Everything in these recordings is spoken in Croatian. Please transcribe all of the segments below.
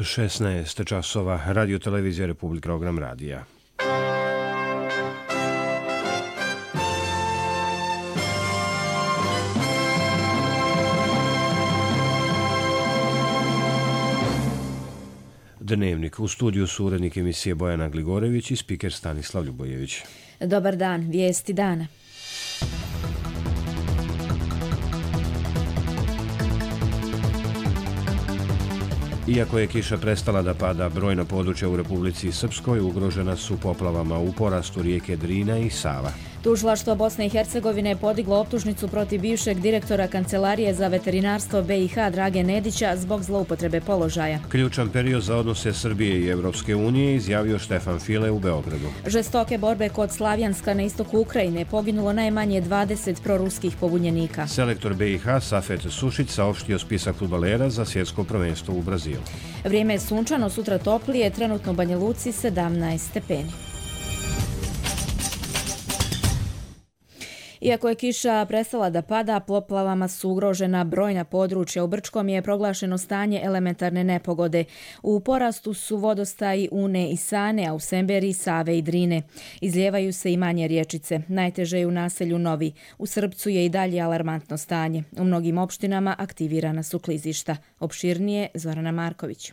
16 časova, Radio Televizija Republika, program radija. Dnevnik. U studiju su urednik emisije Bojana Gligorević i spiker Stanislav Ljubojević. Dobar dan, vijesti dana. Iako je kiša prestala da pada, brojna područja u Republici Srpskoj ugrožena su poplavama u porastu rijeke Drina i Sava. Tužilaštvo Bosne i Hercegovine je podiglo optužnicu protiv bivšeg direktora Kancelarije za veterinarstvo BiH Drage Nedića zbog zloupotrebe položaja. Ključan period za odnose Srbije i Evropske unije izjavio Štefan File u Beogradu. Žestoke borbe kod Slavjanska na istoku Ukrajine, poginulo najmanje 20 proruskih pobunjenika. Selektor BiH Safet Sušić saopštio spisak fudbalera za svjetsko prvenstvo u Brazilu. Vrijeme je sunčano, sutra toplije, trenutno u Banja Luci 17 stepeni. Iako je kiša prestala da pada, poplavama su ugrožena brojna područja. U Brčkom je proglašeno stanje elementarne nepogode. U porastu su vodostaji Une i Sane, a u Semberiji Save i Drine. Izlijevaju se i manje riječice. Najteže je u naselju Novi. U Srpcu je i dalje alarmantno stanje. U mnogim opštinama aktivirana su klizišta. Opširnije Zorana Marković.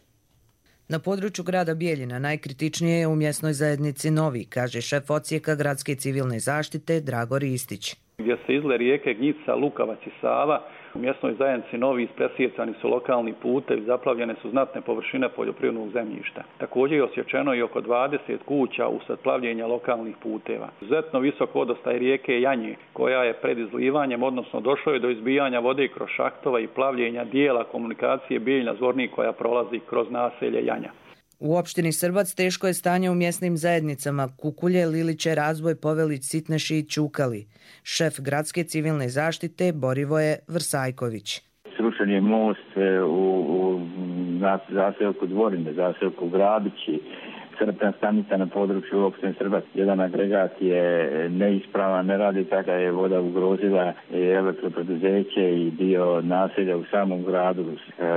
Na području grada Bijeljina najkritičnije je u mjesnoj zajednici Novi, kaže šef odsjeka gradske civilne zaštite Drago Ristić. Gdje se izle rijeke Gnjica, Lukavac i Sava, u mjesnoj zajednici Novi presjecani su lokalni putevi, zaplavljene su znatne površine poljoprivrednog zemljišta. Također je osjećeno i oko 20 kuća usred plavljenja lokalnih puteva. Izuzetno visok vodostaj rijeke Janje, koja je pred izlivanjem, odnosno došlo je do izbijanja vode kroz šahtova i plavljenja dijela komunikacije Bijeljina-Zvornik koja prolazi kroz naselje Janja. U opštini Srbac teško je stanje u mjesnim zajednicama Kukulje, Liliće, Razboj, Povelić, Sitneši i Čukali. Šef gradske civilne zaštite Borivoje Vrsajković. Srušen je most u zaseoku Dvorine, zaseoku Gradići, crpna stanica na području opštine Srbac. Jedan agregat je neispravan, ne radi, tako je voda ugrozila elektropreduzeće i dio naselja u samom gradu.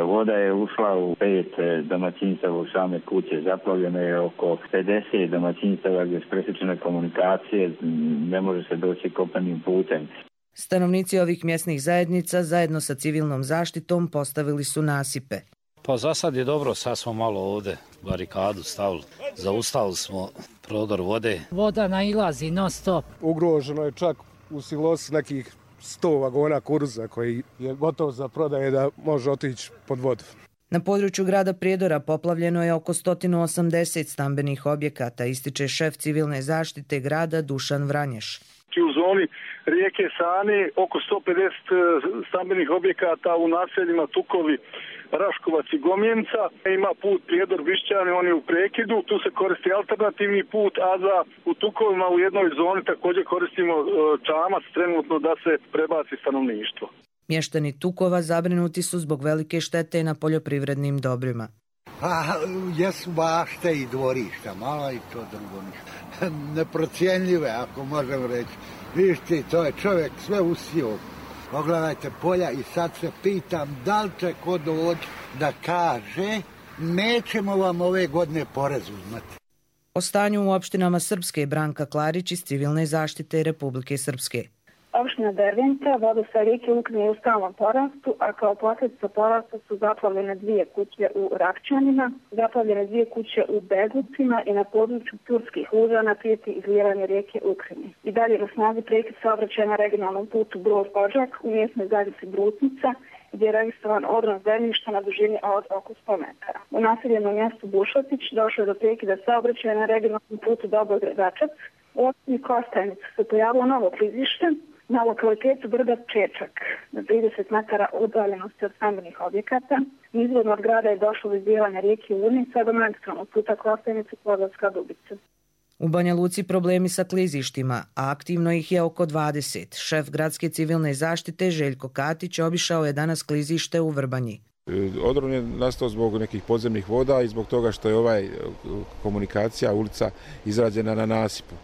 Voda je ušla u 5 domaćinstava u same kuće, zaplavljeno je oko 50 domaćinstava gdje s presječene komunikacije ne može se doći kopnenim putem. Stanovnici ovih mjesnih zajednica zajedno sa civilnom zaštitom postavili su nasipe. Pa za sad je dobro, sad smo malo ovdje barikadu stavili, zaustavili smo prodor vode. Voda nailazi non stop. Ugroženo je čak u silosi nekih 100 vagona kuruza koji je gotov za prodaje da može otići pod vodu. Na području grada Prijedora poplavljeno je oko 180 stambenih objekata, ističe šef civilne zaštite grada Dušan Vranješ. U zoni rijeke Sane oko 150 stambenih objekata u naseljima Tukovi, Raškovac i Gomjenca. Ima put Prijedor Bišćani, on je u prekidu, tu se koristi alternativni put, a u Tukovima u jednoj zoni također koristimo čamac trenutno da se prebaci stanovništvo. Mještani Tukova zabrinuti su zbog velike štete na poljoprivrednim dobrima. Jesu bašte i dvorišta, malo i to drugo ništa. Neprocijenljive, ako možem reći. Vište, to je čovjek sve usio. Pogledajte polja i sad se pitam da li će ko doći da kaže nećemo vam ove godine porez uzmati. O stanju u opštinama Srpske Branka Klarić iz civilne zaštite Republike Srpske. Opština Derventa, vodostaj rijeke Ukne je u stalnom porastu, a kao posljedica porasta su zaplavljene 2 kuće u Rakćanima, zaplavljene 2 kuće u Begucima i na području Turskih Lužana prijeti izlijevanje rijeke Ukrajine. I dalje na snazi prekid saobraćaja na regionalnom putu Brod-Odžak u mjesnoj zajednici Brutnica, gdje je registrovan odron zemljišta na dužini od oko 100 metara. U naseljenom mjestu Bušotić došlo je do prekida saobraćaja na regionalnom putu Dobrograd-Dačac. U opštini Kostajnicu se pojavilo novo klizište na lokalitetu brda Čečak, na 30 metara udaljenosti od stambenih objekata. Izvodno od grada je došlo do izlijevanja rijeke Une, sve do magistralnog puta Kostajnicu-Klodovska Dubica. U Banja Luci problemi sa klizištima, a aktivno ih je oko 20. Šef gradske civilne zaštite Željko Katić obišao je danas klizište u Vrbanji. Odron je nastao zbog nekih podzemnih voda i zbog toga što je komunikacija, ulica izrađena na nasipu.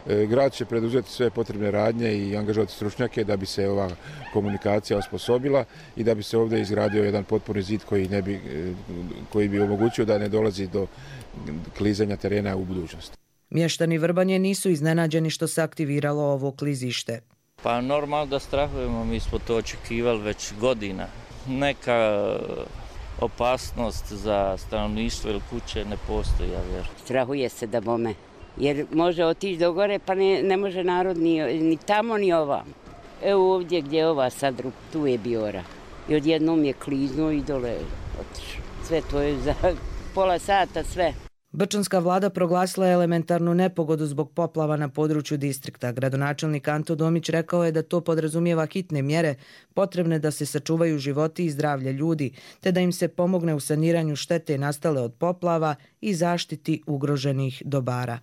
Grad će preduzeti sve potrebne radnje i angažovati stručnjake da bi se ova komunikacija osposobila i da bi se ovdje izgradio jedan potpuni zid koji bi omogućio da ne dolazi do klizanja terena u budućnosti. Mještani Vrbanje nisu iznenađeni što se aktiviralo ovo klizište. Pa normalno da strahujemo, mi smo to očekivali već godina. Neka opasnost za stanovništvo ili kuće ne postoji, ja vjerujem. Strahuje se da bome, jer može otići do gore pa ne može narod ni tamo ni ovam. Evo ovdje gdje je ova sad, tu je Biora. I odjednom je kliznuo i dole otišao. Sve to je za pola sata sve. Brčanska vlada proglasila je elementarnu nepogodu zbog poplava na području distrikta. Gradonačelnik Anto Domić rekao je da to podrazumijeva hitne mjere potrebne da se sačuvaju životi i zdravlje ljudi, te da im se pomogne u saniranju štete nastale od poplava i zaštiti ugroženih dobara.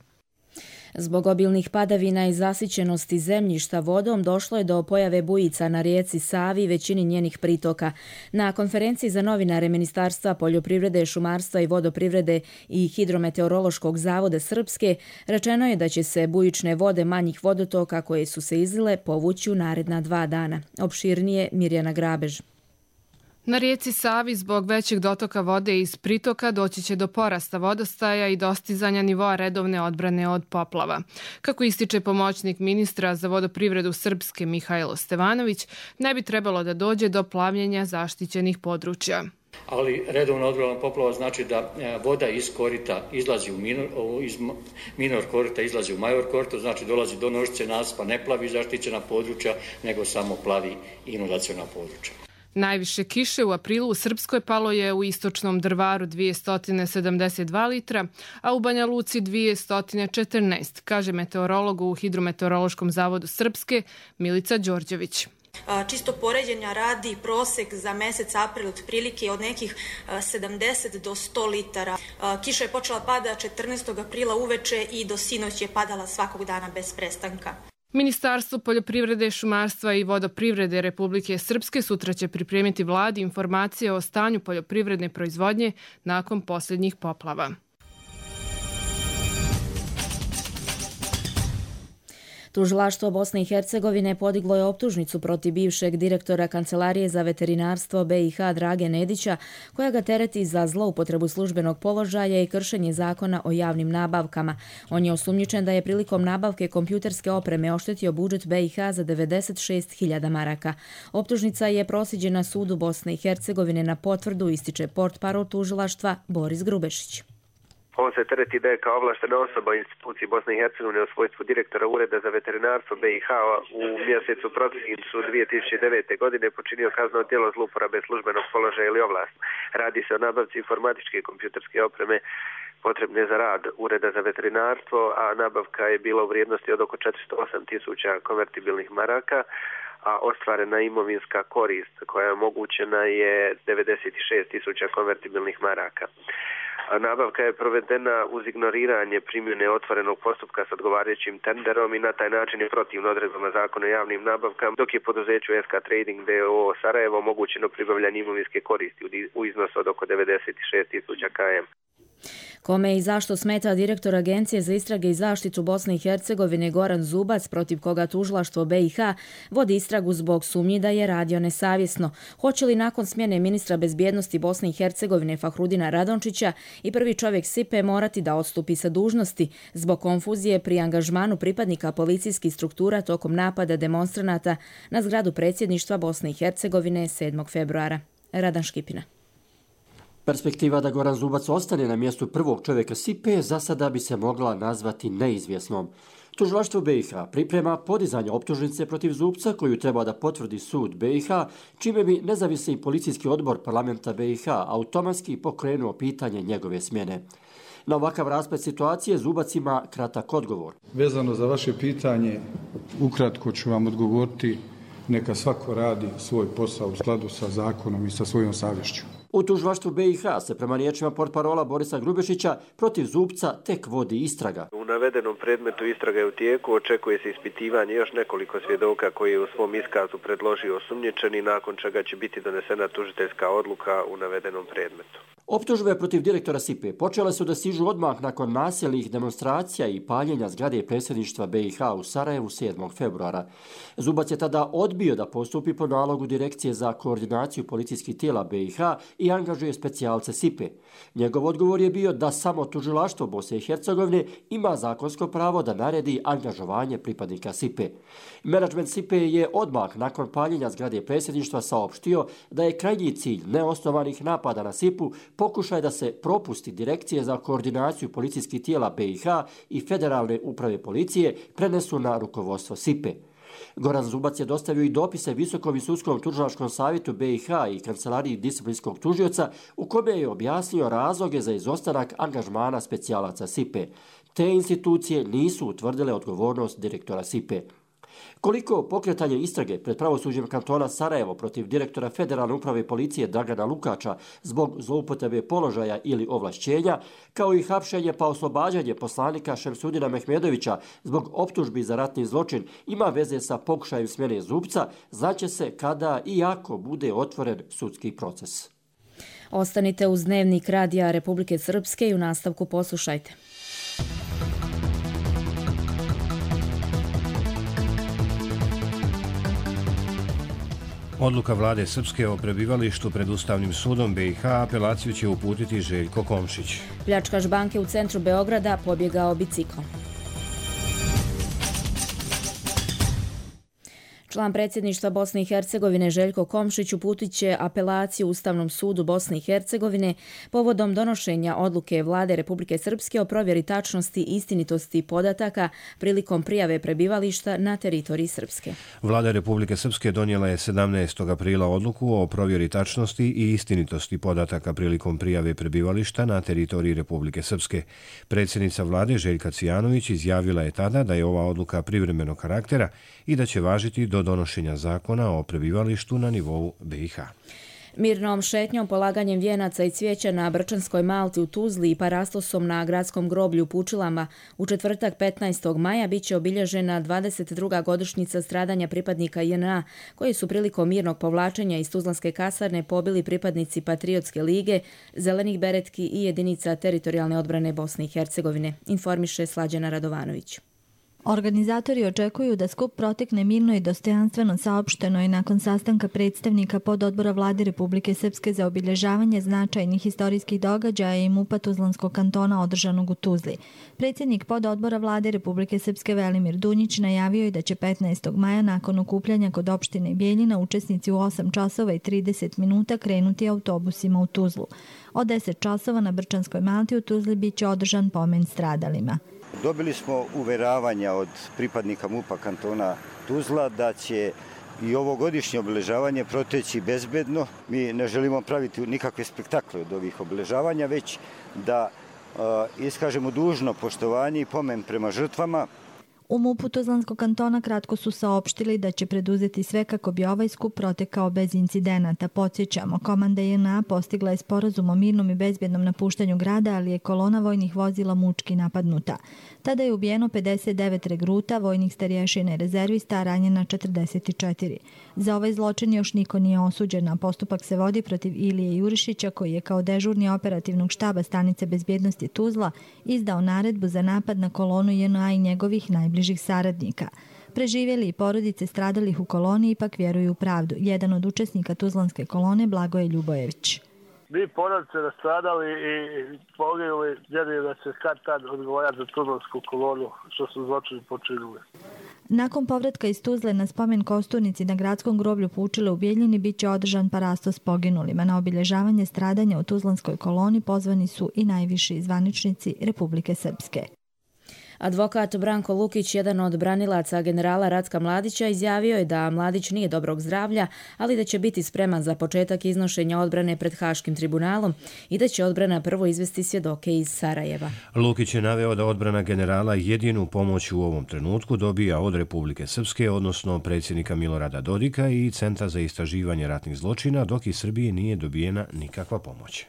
Zbog obilnih padavina i zasićenosti zemljišta vodom došlo je do pojave bujica na rijeci Savi i većini njenih pritoka. Na konferenciji za novinare Ministarstva poljoprivrede, šumarstva i vodoprivrede i Hidrometeorološkog zavoda Srpske rečeno je da će se bujične vode manjih vodotoka koje su se izlile povući u naredna 2 dana. Opširnije Mirjana Grabež. Na rijeci Savi zbog većeg dotoka vode iz pritoka doći će do porasta vodostaja i dostizanja nivoa redovne odbrane od poplava. Kako ističe pomoćnik ministra za vodoprivredu Srpske Mihajlo Stevanović, ne bi trebalo da dođe do plavljenja zaštićenih područja. Ali redovna odbrana poplava znači da voda iz korita izlazi iz minor korita izlazi u major korito, znači dolazi do nožice nasipa, ne plavi zaštićena područja, nego samo plavi inundaciona područja. Najviše kiše u aprilu u Srpskoj palo je u istočnom Drvaru 272 litra, a u Banja Luci 214, kaže meteorolog u Hidrometeorološkom zavodu Srpske Milica Đorđević. Čisto poređenja radi prosek za mjesec april otprilike od nekih 70 do 100 litara. Kiša je počela pada 14. aprila uveče i do sinoć je padala svakog dana bez prestanka. Ministarstvo poljoprivrede, šumarstva i vodoprivrede Republike Srpske sutra će pripremiti vladi informacije o stanju poljoprivredne proizvodnje nakon posljednjih poplava. Tužilaštvo Bosne i Hercegovine podiglo je optužnicu protiv bivšeg direktora Kancelarije za veterinarstvo BiH Drage Nedića, koja ga tereti za zloupotrebu službenog položaja i kršenje zakona o javnim nabavkama. On je osumnjičen da je prilikom nabavke kompjuterske opreme oštetio budžet BiH za 96.000 maraka. Optužnica je proslijeđena sudu Bosne i Hercegovine na potvrdu, ističe portparol tužilaštva Boris Grubešić. On se tereti da je kao ovlaštena osoba u instituciji Bosne i Hercegovine u svojstvu direktora Ureda za veterinarstvo BiH u mjesecu prosincu 2009. godine počinio kazneno djelo zlouporabe službenog položaja ili ovlast. Radi se o nabavci informatičke i kompjuterske opreme potrebne za rad Ureda za veterinarstvo, a nabavka je bila u vrijednosti od oko 408.000 konvertibilnih maraka, a ostvarena imovinska korist koja je omogućena je 96.000 konvertibilnih maraka. Nabavka je provedena uz ignoriranje primjene otvorenog postupka s odgovarajućim tenderom i na taj način je protivno odredbama zakona o javnim nabavkama, dok je poduzeću SK Trading d.o.o. Sarajevo omogućeno pribavljanje imovinske koristi u iznosu od oko 96.000 km. Kome i zašto smeta direktor Agencije za istrage i zaštitu Bosne i Hercegovine Goran Zubac, protiv koga tužilaštvo BiH vodi istragu zbog sumnji da je radio nesavjesno? Hoće li nakon smjene ministra bezbjednosti Bosne i Hercegovine Fahrudina Radončića i prvi čovjek SIPE morati da odstupi sa dužnosti zbog konfuzije pri angažmanu pripadnika policijskih struktura tokom napada demonstranata na zgradu predsjedništva Bosne i Hercegovine 7. februara? Radan Škipina. Perspektiva da Goran Zubac ostane na mjestu prvog čovjeka SIPE za sada bi se mogla nazvati neizvjesnom. Tužilaštvo BiH priprema podizanje optužnice protiv Zubca koju treba da potvrdi sud BiH, čime bi nezavisni policijski odbor parlamenta BiH automatski pokrenuo pitanje njegove smjene. Na ovakav rasplet situacije Zubac ima kratak odgovor. Vezano za vaše pitanje, ukratko ću vam odgovoriti, neka svako radi svoj posao u skladu sa zakonom i sa svojom savješću. U tužilaštvu BiH se prema riječima portparola Borisa Grubešića protiv Zupca tek vodi istraga. U navedenom predmetu istraga je u tijeku, očekuje se ispitivanje još nekoliko svjedoka koji je u svom iskazu predložio osumnjičeni, nakon čega će biti donesena tužiteljska odluka u navedenom predmetu. Optužbe protiv direktora SIPE počele su da stižu odmah nakon nasilnih demonstracija i paljenja zgrade predsjedništva BiH u Sarajevu 7. februara. Zubac je tada odbio da postupi po nalogu Direkcije za koordinaciju policijskih tijela BiH i angažuje specijalce SIPE. Njegov odgovor je bio da samo tužilaštvo Bosne i Hercegovine ima zakonsko pravo da naredi angažovanje pripadnika SIPE. Menadžment SIPE je odmah nakon paljenja zgrade predsjedništva saopštio da je krajnji cilj neosnovanih napada na SIPu pokušaj da se propusti Direkcije za koordinaciju policijskih tijela BiH i Federalne uprave policije prenesu na rukovodstvo SIPE. Goran Zubac je dostavio i dopise Visokom i sudskom tužilačkom savjetu BiH i Kancelariji disciplinskog tužioca u kome je objasnio razloge za izostanak angažmana specijalaca SIPE. Te institucije nisu utvrdile odgovornost direktora SIPE. Koliko pokretanje istrage pred pravosuđem kantona Sarajevo protiv direktora Federalne uprave policije Dragana Lukača zbog zloupotrebe položaja ili ovlašćenja, kao i hapšenje pa oslobađanje poslanika Šemsudina Mehmedovića zbog optužbi za ratni zločin ima veze sa pokušajem smjene Zupca, znaće se kada i ako bude otvoren sudski proces. Ostanite uz Dnevnik Radija Republike Srpske i u nastavku poslušajte. Odluka vlade Srpske o prebivalištu pred Ustavnim sudom BiH apelaciju će uputiti Željko Komšić. Pljačkaš banke u centru Beograda pobjegao biciklom. Član predsjedništva Bosne i Hercegovine Željko Komšić uputit će apelaciju Ustavnom sudu Bosne i Hercegovine povodom donošenja odluke vlade Republike Srpske o provjeri tačnosti i istinitosti podataka prilikom prijave prebivališta na teritoriji Srpske. Vlada Republike Srpske donijela je 17. aprila odluku o provjeri tačnosti i istinitosti podataka prilikom prijave prebivališta na teritoriji Republike Srpske. Predsjednica vlade Željka Cijanović izjavila je tada da je ova odluka privremenog karaktera i da će važiti do donošenja zakona o prebivalištu na nivou BiH. Mirnom šetnjom, polaganjem vijenaca i cvijeća na Brčanskoj Malti u Tuzli i parastosom na gradskom groblju u Pučilama u četvrtak 15. maja biće obilježena 22. godišnjica stradanja pripadnika JNA koji su prilikom mirnog povlačenja iz Tuzlanske kasarne pobili pripadnici Patriotske lige, Zelenih beretki i jedinica teritorijalne odbrane Bosne i Hercegovine, informiše Slađana Radovanović. Organizatori očekuju da skup protekne mirno i dostojanstveno, saopšteno je nakon sastanka predstavnika pododbora vlade Republike Srpske za obilježavanje značajnih historijskih događaja i MUP-a Tuzlanskog kantona održanog u Tuzli. Predsjednik pododbora vlade Republike Srpske Velimir Dunjić najavio je da će 15. maja nakon okupljanja kod opštine Bijeljina učesnici u 8 časova i 30 minuta krenuti autobusima u Tuzlu. Od 10 časova na Brčanskoj Malti u Tuzli biće održan pomen stradalima. Dobili smo uveravanja od pripadnika MUP-a kantona Tuzla da će i ovogodišnje obeležavanje proteći bezbedno. Mi ne želimo praviti nikakve spektakle od ovih obeležavanja, već da iskažemo dužno poštovanje i pomen prema žrtvama. U MUP-u Tuzlanskog kantona kratko su saopštili da će preduzeti sve kako bi ovaj skup protekao bez incidenata. Podsjećamo, komanda JNA postigla je sporazum o mirnom i bezbjednom napuštanju grada, ali je kolona vojnih vozila mučki napadnuta. Tada je ubijeno 59 regruta, vojnih starješina i rezervista, a ranjena 44. Za ovaj zločin još niko nije osuđen, a postupak se vodi protiv Ilije Jurišića, koji je kao dežurni operativnog štaba stanice bezbjednosti Tuzla izdao naredbu za napad na kolonu JNA i njegovih najbližih saradnika. Preživjeli i porodice stradalih u koloni ipak vjeruju u pravdu. Jedan od učesnika Tuzlanske kolone, Blagoje Ljubojević. Mi porodice nastradali i poginuli, vjerujem da će kad tad odgovarati za Tuzlansku kolonu što su zločini počinili. Nakon povratka iz Tuzle na spomen kosturnici na gradskom groblju Pučile u Bijeljini biće održan parastos poginulima. Na obilježavanje stradanja u Tuzlanskoj koloni pozvani su i najviši zvaničnici Republike Srpske. Advokat Branko Lukić, jedan od branilaca generala Ratka Mladića, izjavio je da Mladić nije dobrog zdravlja, ali da će biti spreman za početak iznošenja odbrane pred Haškim tribunalom i da će odbrana prvo izvesti svjedoke iz Sarajeva. Lukić je naveo da odbrana generala jedinu pomoć u ovom trenutku dobija od Republike Srpske, odnosno predsjednika Milorada Dodika i Centra za istraživanje ratnih zločina, dok iz Srbije nije dobijena nikakva pomoć.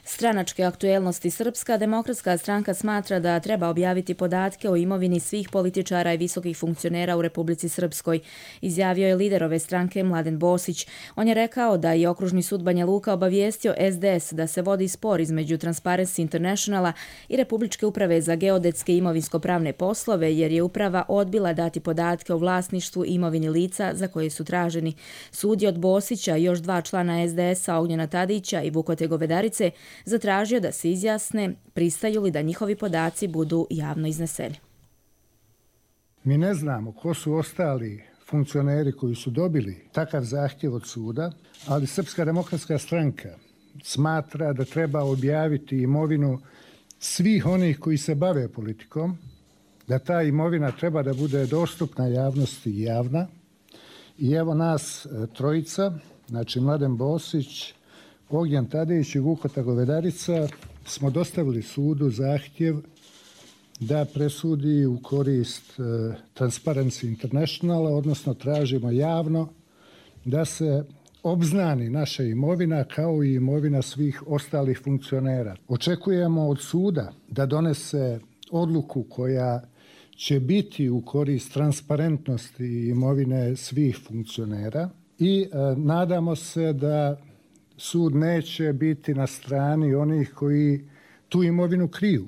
Stranačke aktuelnosti. Srpska demokratska stranka smatra da treba objaviti podatke o imovini svih političara i visokih funkcionera u Republici Srpskoj, izjavio je lider ove stranke Mladen Bosić. On je rekao da je Okružni sud Banja Luka obavijestio SDS da se vodi spor između Transparency Internationala i Republičke uprave za geodetske i imovinsko-pravne poslove, jer je uprava odbila dati podatke o vlasništvu i imovini lica za koje su traženi. Sud je od Bosića i još 2 člana SDS-a, Ognjena Tadića i Vukote Govedarice, zatražio da se izjasne pristaju li da njihovi podaci budu javno izneseni. Mi ne znamo ko su ostali funkcioneri koji su dobili takav zahtjev od suda, ali Srpska demokratska stranka smatra da treba objaviti imovinu svih onih koji se bave politikom, da ta imovina treba da bude dostupna javnosti i javna. I evo nas trojica, znači Mladen Bosić, Ognjen Tadić i Vukota Govedarica, smo dostavili sudu zahtjev da presudi u korist Transparency Internationala, odnosno tražimo javno da se obznani naša imovina kao i imovina svih ostalih funkcionera. Očekujemo od suda da donese odluku koja će biti u korist transparentnosti imovine svih funkcionera i nadamo se da sud neće biti na strani onih koji tu imovinu kriju.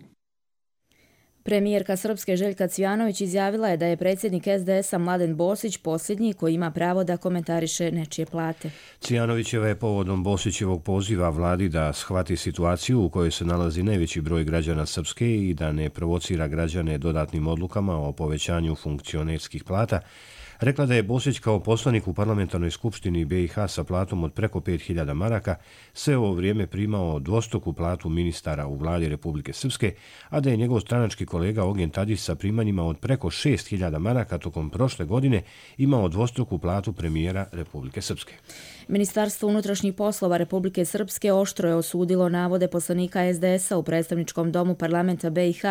Premijerka Srpske Željka Cvijanović izjavila je da je predsjednik SDS-a Mladen Bosić posljednji koji ima pravo da komentariše nečije plate. Cvijanovićeva je povodom Bosićevog poziva vladi da shvati situaciju u kojoj se nalazi najveći broj građana Srpske i da ne provocira građane dodatnim odlukama o povećanju funkcionerskih plata, rekla da je Bosić kao poslanik u parlamentarnoj skupštini BiH sa platom od preko 5.000 maraka sve ovo vrijeme primao dvostruku platu ministara u vladi Republike Srpske, a da je njegov stranački kolega Ognjen Tadić sa primanjima od preko 6.000 maraka tokom prošle godine imao dvostruku platu premijera Republike Srpske. Ministarstvo unutrašnjih poslova Republike Srpske oštro je osudilo navode poslanika SDS-a u predstavničkom domu parlamenta BiH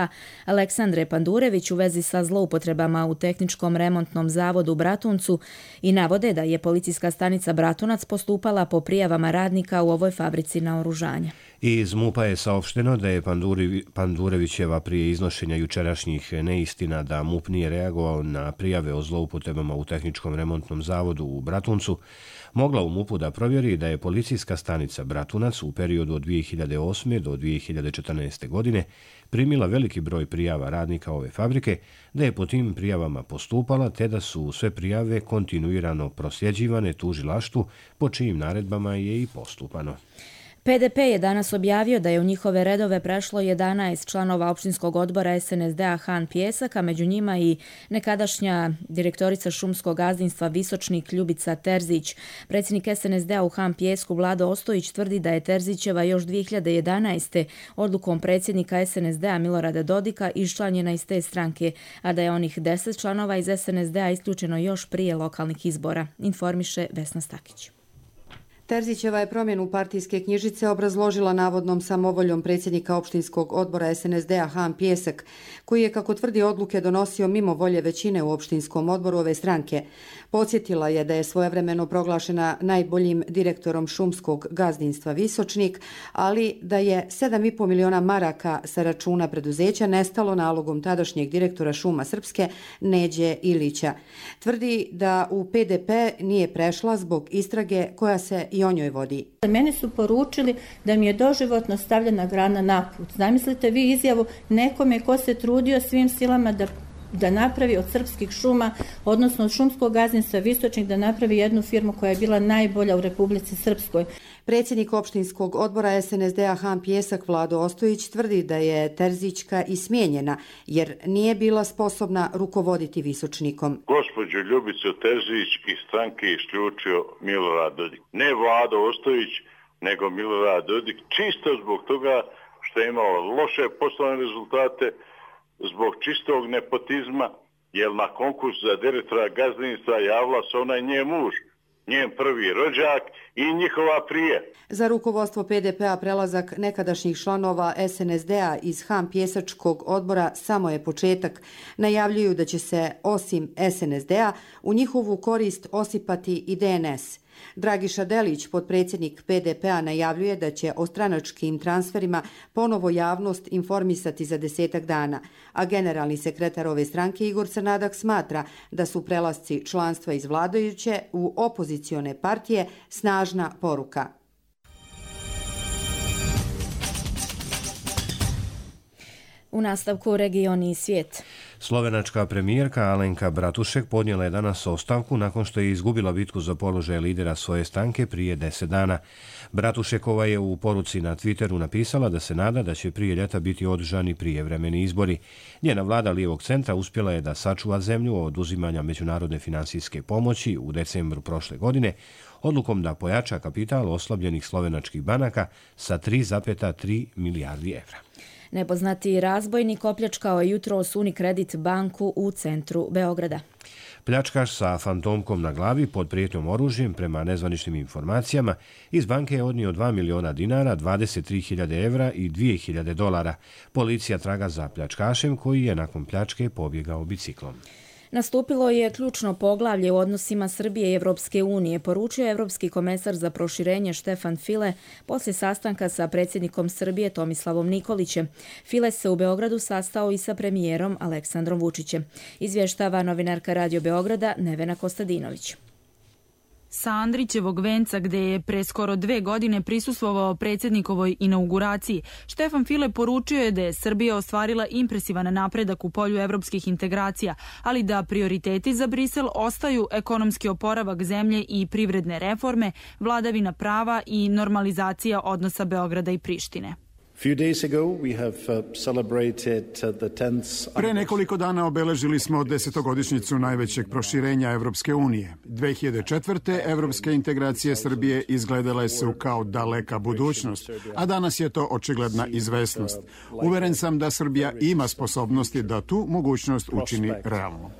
Aleksandre Pandurević u vezi sa zloupotrebama u tehničkom remontnom zavodu u Bratuncu i navode da je policijska stanica Bratunac postupala po prijavama radnika u ovoj fabrici naoružanja. Iz MUP-a je saopšteno da je Pandurevićeva prije iznošenja jučerašnjih neistina da MUP nije reagovao na prijave o zloupotrebama u tehničkom remontnom zavodu u Bratuncu mogla u MUP-u da provjeri da je policijska stanica Bratunac u periodu od 2008. do 2014. godine primila veliki broj prijava radnika ove fabrike, da je po tim prijavama postupala te da su sve prijave kontinuirano prosljeđivane tužilaštvu po čijim naredbama je i postupano. PDP je danas objavio da je u njihove redove prešlo 11 članova opštinskog odbora SNSD-a Han Pjesak, a među njima i nekadašnja direktorica šumskog gazdinstva Visočnik Ljubica Terzić. Predsjednik SNSD-a u Han Pjesku Vlado Ostojić tvrdi da je Terzićeva još 2011. odlukom predsjednika SNSD-a Milorada Dodika iščlanjena iz te stranke, a da je onih 10 članova iz SNSD-a isključeno još prije lokalnih izbora, informiše Vesna Stakić. Terzićeva je promjenu partijske knjižice obrazložila navodnom samovoljom predsjednika opštinskog odbora SNSD-a Han Pjesak, koji je, kako tvrdi, odluke donosio mimo volje većine u opštinskom odboru ove stranke. Podsjetila je da je svojevremeno proglašena najboljim direktorom šumskog gazdinstva Visočnik, ali da je 7,5 miliona maraka sa računa preduzeća nestalo nalogom tadašnjeg direktora Šuma Srpske Neđe Ilića. Tvrdi da u PDP nije prešla zbog istrage koja se i o njoj vodi. Meni su poručili da mi je doživotno stavljena grana na put. Zamislite vi izjavu nekome ko se trudio svim silama da napravi od srpskih šuma, odnosno od šumskog gazdinstva Visočnik, da napravi jednu firmu koja je bila najbolja u Republici Srpskoj. Predsjednik opštinskog odbora SNSD-a Han Pjesak Vlado Ostojić tvrdi da je Terzićka i smijenjena, jer nije bila sposobna rukovoditi Visočnikom. Gospođu Ljubicu Terzić iz stranke isključio Milorad Dodik. Ne Vlado Ostojić, nego Milorad Dodik, čisto zbog toga što je imala loše poslovne rezultate, zbog čistog nepotizma, jer na konkurs za direktora gazdinstva javila se onaj njen muž, njen prvi rođak i njihova prije. Za rukovodstvo PDP-a prelazak nekadašnjih članova SNSD-a iz Han pjesačkog odbora samo je početak. Najavljuju da će se, osim SNSD-a, u njihovu korist osipati i DNS. Dragiša Delić, potpredsjednik PDP-a, najavljuje da će o stranačkim transferima ponovo javnost informisati za 10 dana, a generalni sekretar ove stranke Igor Crnadak smatra da su prelasci članstva iz vladajuće u opozicione partije snažna poruka. U nastavku regioni i svijet. Slovenačka premijerka Alenka Bratušek podnijela je danas ostavku nakon što je izgubila bitku za položaj lidera svoje stranke prije 10 dana. Bratušekova je u poruci na Twitteru napisala da se nada da će prije ljeta biti održani prijevremeni izbori. Njena vlada lijevog centra uspjela je da sačuva zemlju od uzimanja međunarodne financijske pomoći u decembru prošle godine, odlukom da pojača kapital oslabljenih slovenačkih banaka sa 3,3 milijardi evra. Nepoznati razbojnik opljačkao je jutros Unicredit banku u centru Beograda. Pljačkaš sa fantomkom na glavi pod prijetnjom oružjem, prema nezvaničnim informacijama, iz banke je odnio 2 miliona dinara, 23.000 evra i 2.000 dolara. Policija traga za pljačkašem koji je nakon pljačke pobjegao biciklom. Nastupilo je ključno poglavlje u odnosima Srbije i Evropske unije, poručio je Evropski komesar za proširenje Štefan File poslije sastanka sa predsjednikom Srbije Tomislavom Nikolićem. File se u Beogradu sastao i sa premijerom Aleksandrom Vučićem. Izvještava novinarka Radio Beograda Nevena Kostadinović. Sa Andrićevog venca, gde je pre skoro 2 godine prisustvovao predsjednikovoj inauguraciji, Štefan File poručio je da je Srbija ostvarila impresivan napredak u polju evropskih integracija, ali da prioriteti za Brisel ostaju ekonomski oporavak zemlje i privredne reforme, vladavina prava i normalizacija odnosa Beograda i Prištine. Pre nekoliko dana obeležili smo 10-godišnjicu najvećeg proširenja Evropske unije. 2004. evropske integracije Srbije izgledale su kao daleka budućnost, a danas je to očigledna izvesnost. Uveren sam da Srbija ima sposobnosti da tu mogućnost učini realnom.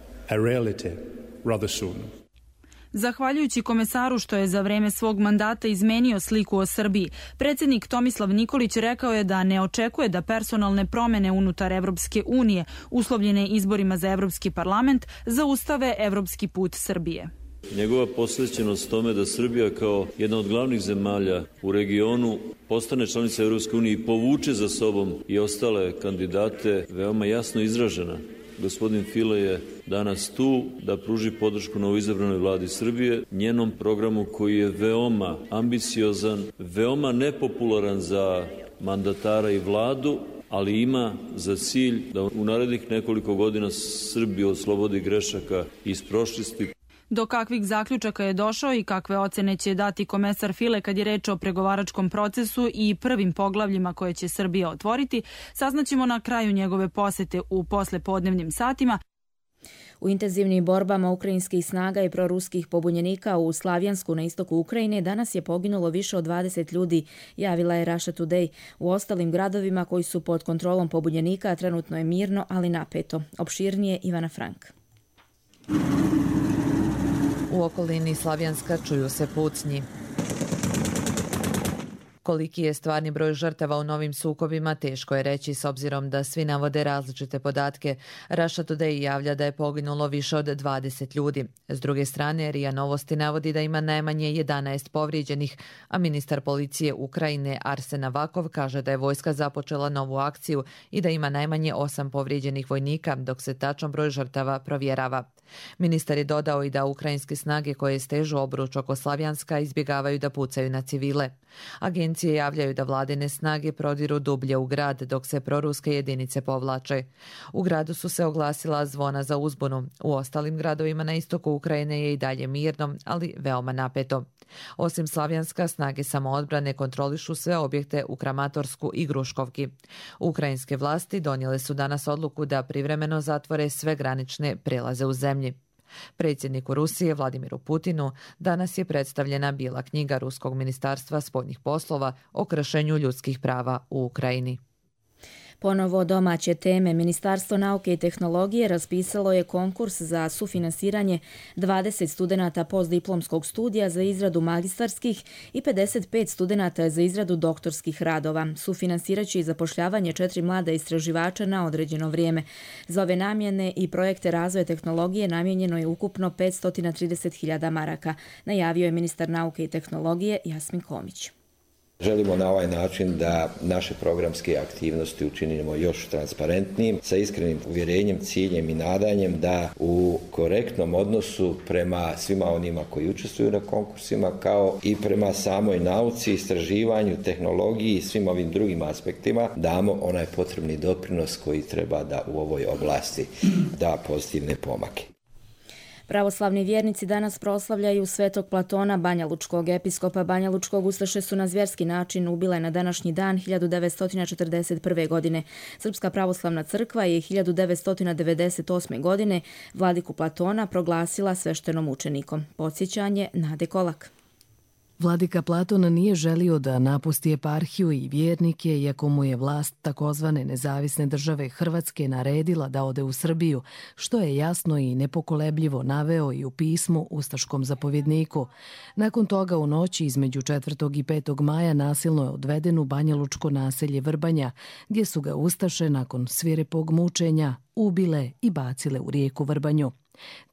Zahvaljujući komesaru što je za vreme svog mandata izmenio sliku o Srbiji, predsjednik Tomislav Nikolić rekao je da ne očekuje da personalne promjene unutar Evropske unije, uslovljene izborima za Evropski parlament, zaustave evropski put Srbije. Njegova posvećenost tome da Srbija kao jedna od glavnih zemalja u regionu postane članica Evropske unije i povuče za sobom i ostale kandidate veoma jasno izražena. Gospodin File je danas tu da pruži podršku novoizabranoj vladi Srbije, njenom programu koji je veoma ambiciozan, veoma nepopularan za mandatara i vladu, ali ima za cilj da u narednih nekoliko godina Srbiju oslobodi grešaka iz prošlosti. Do kakvih zaključaka je došao i kakve ocene će dati komesar File kad je reč o pregovaračkom procesu i prvim poglavljima koje će Srbija otvoriti, saznaćemo na kraju njegove posete u poslepodnevnim satima. U intenzivnim borbama ukrajinskih snaga i proruskih pobunjenika u Slavjansku na istoku Ukrajine danas je poginulo više od 20 ljudi, javila je Russia Today. U ostalim gradovima koji su pod kontrolom pobunjenika trenutno je mirno, ali napeto. Opširnije Ivana Frank. U okolini Slavjanska čuju se pucnji. Koliki je stvarni broj žrtava u novim sukobima, teško je reći s obzirom da svi navode različite podatke. Russia Today javlja da je poginulo više od 20 ljudi. S druge strane, RIA Novosti navodi da ima najmanje 11 povrijeđenih, a ministar policije Ukrajine Arsen Avakov kaže da je vojska započela novu akciju i da ima najmanje 8 povrijeđenih vojnika, dok se tačan broj žrtava provjerava. Ministar je dodao i da ukrajinske snage koje stežu obruč oko Slavjanska izbjegavaju da pucaju na civile. Agencije javljaju da vladine snage prodiru dublje u grad dok se proruske jedinice povlače. U gradu su se oglasila zvona za uzbunu. U ostalim gradovima na istoku Ukrajine je i dalje mirno, ali veoma napeto. Osim Slavjanska, snage samoodbrane kontrolišu sve objekte u Kramatorsku i Gruškovki. Ukrajinske vlasti donijele su danas odluku da privremeno zatvore sve granične prelaze u zemlji. Predsjedniku Rusije Vladimiru Putinu danas je predstavljena bijela knjiga Ruskog ministarstva spoljnih poslova o kršenju ljudskih prava u Ukrajini. Ponovo domaće teme. Ministarstvo nauke i tehnologije raspisalo je konkurs za sufinansiranje 20 studenata postdiplomskog studija za izradu magistarskih i 55 studenata za izradu doktorskih radova. Sufinansiraće i zapošljavanje 4 mlada istraživača na određeno vrijeme. Za ove namjene i projekte razvoja tehnologije namijenjeno je ukupno 530.000 maraka, najavio je ministar nauke i tehnologije Jasmin Komić. Želimo na ovaj način da naše programske aktivnosti učinimo još transparentnijim, sa iskrenim uvjerenjem, ciljem i nadanjem da u korektnom odnosu prema svima onima koji učestvuju na konkursima, kao i prema samoj nauci, istraživanju, tehnologiji i svim ovim drugim aspektima damo onaj potrebni doprinos koji treba da u ovoj oblasti da pozitivne pomake. Pravoslavni vjernici danas proslavljaju Svetog Platona Banjalučkog. Episkopa Banjalučkog ustaše su na zvjerski način ubile na današnji dan 1941. godine. Srpska pravoslavna crkva je 1998. godine vladiku Platona proglasila sveštenom učenikom. Podsjećanje Nade Kolak. Vladika Platon nije želio da napusti eparhiju i vjernike, iako mu je vlast takozvane nezavisne države Hrvatske naredila da ode u Srbiju, što je jasno i nepokolebljivo naveo i u pismu ustaškom zapovjedniku. Nakon toga u noći između 4. i 5. maja nasilno je odveden u banjalučko naselje Vrbanja, gdje su ga ustaše nakon svirepog mučenja ubile i bacile u rijeku Vrbanju.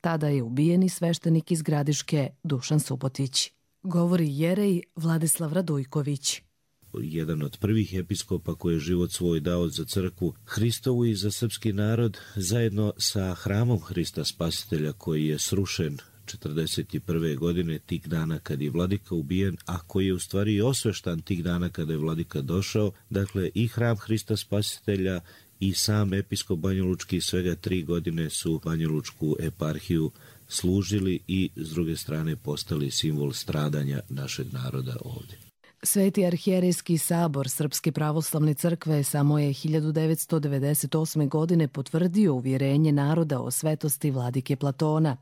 Tada je ubijeni sveštenik iz Gradiške Dušan Subotić. Govori jerej Vladislav Radujković. Jedan od prvih episkopa koji je život svoj dao za crkvu Hristovu i za srpski narod, zajedno sa hramom Hrista Spasitelja koji je srušen 1941. godine, tih dana kad je vladika ubijen, a koji je u stvari osveštan tih dana kada je vladika došao. Dakle, i hram Hrista Spasitelja i sam episkop Banjalučki svega 3 godine su Banjalučku eparhiju služili i s druge strane postali simbol stradanja našeg naroda ovdje. Sveti arhijerejski sabor Srpske pravoslavne crkve samo je 1998. godine potvrdio uvjerenje naroda o svetosti vladike Platona.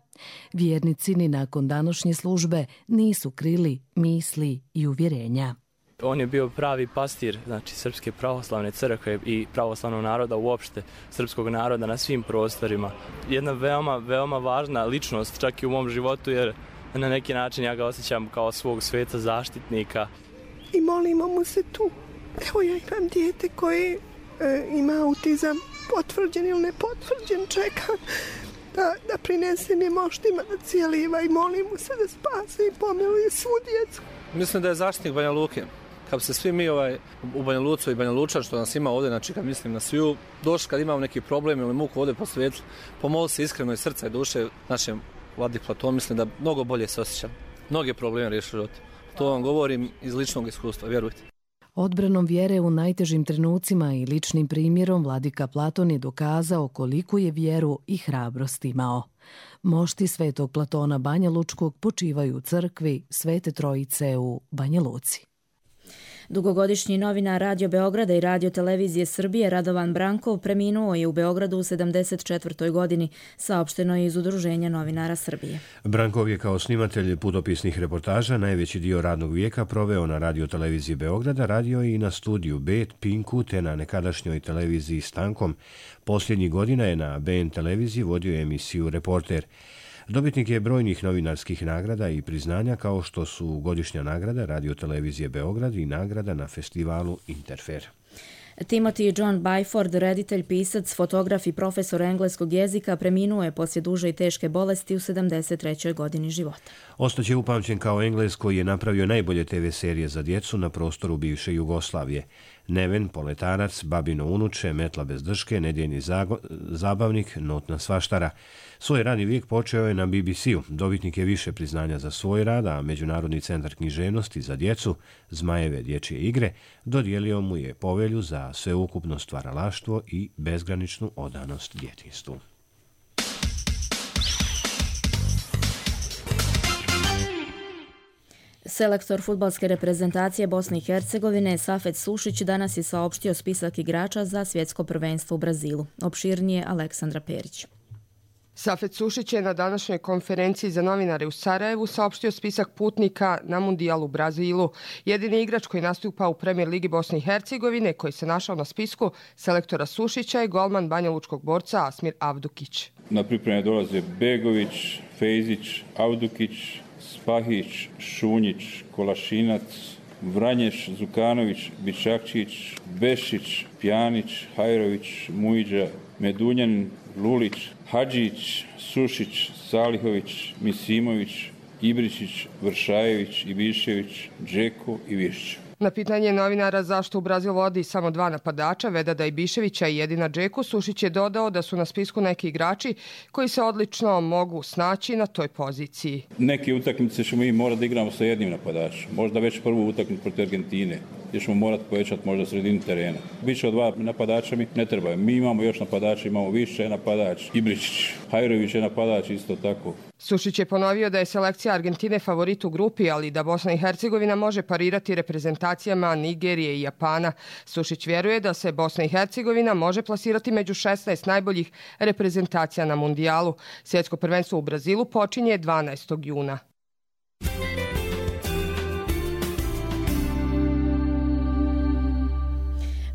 Vjernici ni nakon današnje službe nisu krili misli i uvjerenja. On je bio pravi pastir, znači Srpske pravoslavne crkve i pravoslavnog naroda uopšte, srpskog naroda na svim prostorima. Jedna veoma važna ličnost čak i u mom životu, jer na neki način ja ga osjećam kao svog sveta zaštitnika. I molimo mu se tu. Evo ja imam dijete koje ima autizam, potvrđen ili nepotvrđen, čekam da prinese mi moštima da cijeliva i molim mu se da spase i pomiluje svu djecu. Mislim da je zaštitnik Banja Luke. Kad se svi mi u Banja Lucu i Banja Lučan, što nas ima ovdje, znači kad mislim na sviju, došli kad imamo neki problem ili muku ovdje posvijetli, pomoli se iskreno iz srca i duše našem vladik Platon, mislim da mnogo bolje se osjećam. Mnoge probleme riješi život. To vam govorim iz ličnog iskustva, vjerujte. Odbranom vjere u najtežim trenucima i ličnim primjerom vladika Platon je dokazao koliko je vjeru i hrabrost imao. Mošti Svetog Platona Banjalučkog počivaju u crkvi Svete Trojice u Banja Luci. Dugogodišnji novinar Radio Beograda i Radio Televizije Srbije Radovan Brankov preminuo je u Beogradu u 74. godini, saopšteno je iz Udruženja novinara Srbije. Brankov je kao snimatelj putopisnih reportaža najveći dio radnog vijeka proveo na Radio Televiziji Beograda, radio i na studiju Bet, Pinku te na nekadašnjoj televiziji Stankom. Posljednjih godina je na BN televiziji vodio emisiju Reporter. Dobitnik je brojnih novinarskih nagrada i priznanja kao što su godišnja nagrada Radio Televizije Beograd i nagrada na festivalu Interfer. Timothy John Byford, reditelj, pisac, fotograf i profesor engleskog jezika, preminuo je poslije duže i teške bolesti u 73. godini života. Ostaće upamćen kao Englez koji je napravio najbolje TV serije za djecu na prostoru bivše Jugoslavije. Neven, Poletarac, Babino unuče, Metla bez drške, Nedjeljni zabavnik, Notna svaštara. Svoj radni vijek počeo je na BBC-u. Dobitnik je više priznanja za svoj rad, a Međunarodni centar književnosti za djecu, Zmajeve dječje igre, dodijelio mu je povelju za sveukupno stvaralaštvo i bezgraničnu odanost djetinjstvu. Selektor fudbalske reprezentacije Bosne i Hercegovine Safet Sušić danas je saopštio spisak igrača za svjetsko prvenstvo u Brazilu. Opširnije Aleksandra Perić. Safet Sušić je na današnjoj konferenciji za novinare u Sarajevu saopštio spisak putnika na Mundijalu u Brazilu. Jedini igrač koji nastupa u Premier ligi Bosne i Hercegovine koji se našao na spisku selektora Sušića je golman banjalučkog borca Asmir Avdukić. Na pripreme dolaze Begović, Fejzić, Avdukić, Spahić, Šunjić, Kolašinac, Vranješ, Zukanović, Bičakčić, Bešić, Pjanić, Hajrović, Mujđa, Medunjan, Lulić, Hadžić, Sušić, Salihović, Misimović, Ibričić, Vršajević, Ibišević, Džeko i Višć. Na pitanje novinara zašto u Brazil vodi samo 2 napadača, Vedada Ibiševića i jedina Džeku, Sušić je dodao da su na spisku neki igrači koji se odlično mogu snaći na toj poziciji. Neke utakmice ćemo mi morati da igramo sa jednim napadačem. Možda već prvu utakmicu protiv Argentine, gdje ćemo morati povećati možda sredinu terena. Više od 2 napadača mi ne treba. Mi imamo još napadača, imamo više napadač. Ibričić, Hajrović je napadač isto tako. Sušić je ponovio da je selekcija Argentine favorit u grupi, ali da Bosna i Hercegovina može parirati reprezentacijama Nigerije i Japana. Sušić vjeruje da se Bosna i Hercegovina može plasirati među 16 najboljih reprezentacija na Mundijalu. Svjetsko prvenstvo u Brazilu počinje 12. juna.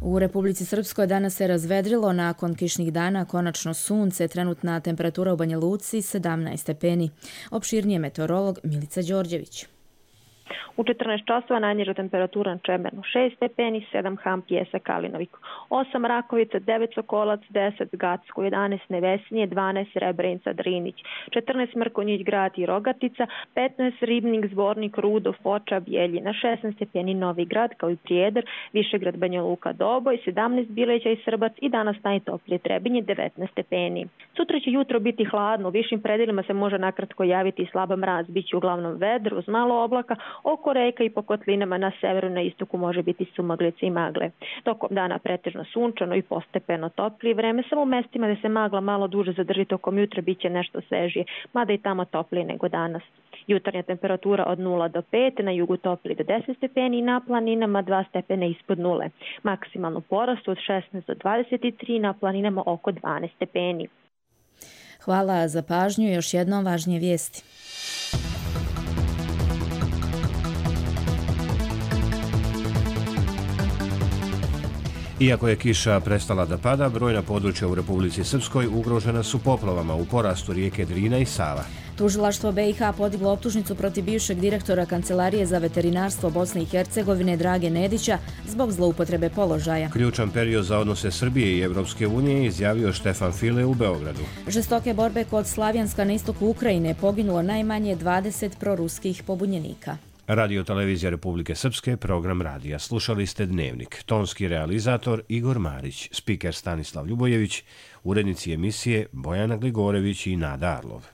U Republici Srpskoj danas se razvedrilo, nakon kišnih dana konačno sunce, trenutna temperatura u Banja Luci 17 stepeni. Opširnije meteorolog Milica Đorđević. U 14 časova najniža temperatura na Čemernu 6 stepeni, 7 Ham, Pjesak, Kalinoviku, 8 Rakovica, 9 Sokolac, 10 Gacko, 11 Nevesnije, 12 Srebrenica, Drinić, 14 Mrkonjić, Grad i Rogatica, 15 Ribnik, Zvornik, Rudo, Foča, Bjeljina, 16 stepeni Novi Grad kao i Prijedor, Višegrad, Banja Luka, Doboj, 17 Bileća i Srbac i danas najtoplije Trebinje 19 stepeni. Sutra će jutro biti hladno, u višim predelima se može nakratko javiti i slaba mraz, biće uglavnom vedro uz malo oblaka, oko reka i po kotlinama na severu na istoku može biti sumaglice i magle. Tokom dana pretežno sunčano i postepeno toplije vreme, samo u mestima gde se magla malo duže zadrži tokom jutra biće nešto svežije, mada i tamo toplije nego danas. Jutarnja temperatura od 0 do 5, na jugu toplije do 10 stepeni i na planinama 2 stepene ispod 0. Maksimalno porastu od 16 do 23, na planinama oko 12 stepeni. Hvala za pažnju i još jednom važnije vijesti. Iako je kiša prestala da pada, brojna područja u Republici Srpskoj ugrožena su poplavama u porastu rijeke Drina i Sava. Tužilaštvo BiH podiglo optužnicu protiv bivšeg direktora Kancelarije za veterinarstvo Bosne i Hercegovine Drage Nedića zbog zloupotrebe položaja. Ključan period za odnose Srbije i Evropske unije izjavio Štefan File u Beogradu. Žestoke borbe kod Slavjanska na istoku Ukrajine poginulo najmanje 20 proruskih pobunjenika. Radio Televizija Republike Srpske, program radija. Slušali ste Dnevnik. Tonski realizator Igor Marić, spiker Stanislav Ljubojević, urednici emisije Bojana Gligorević i Nada Arlov.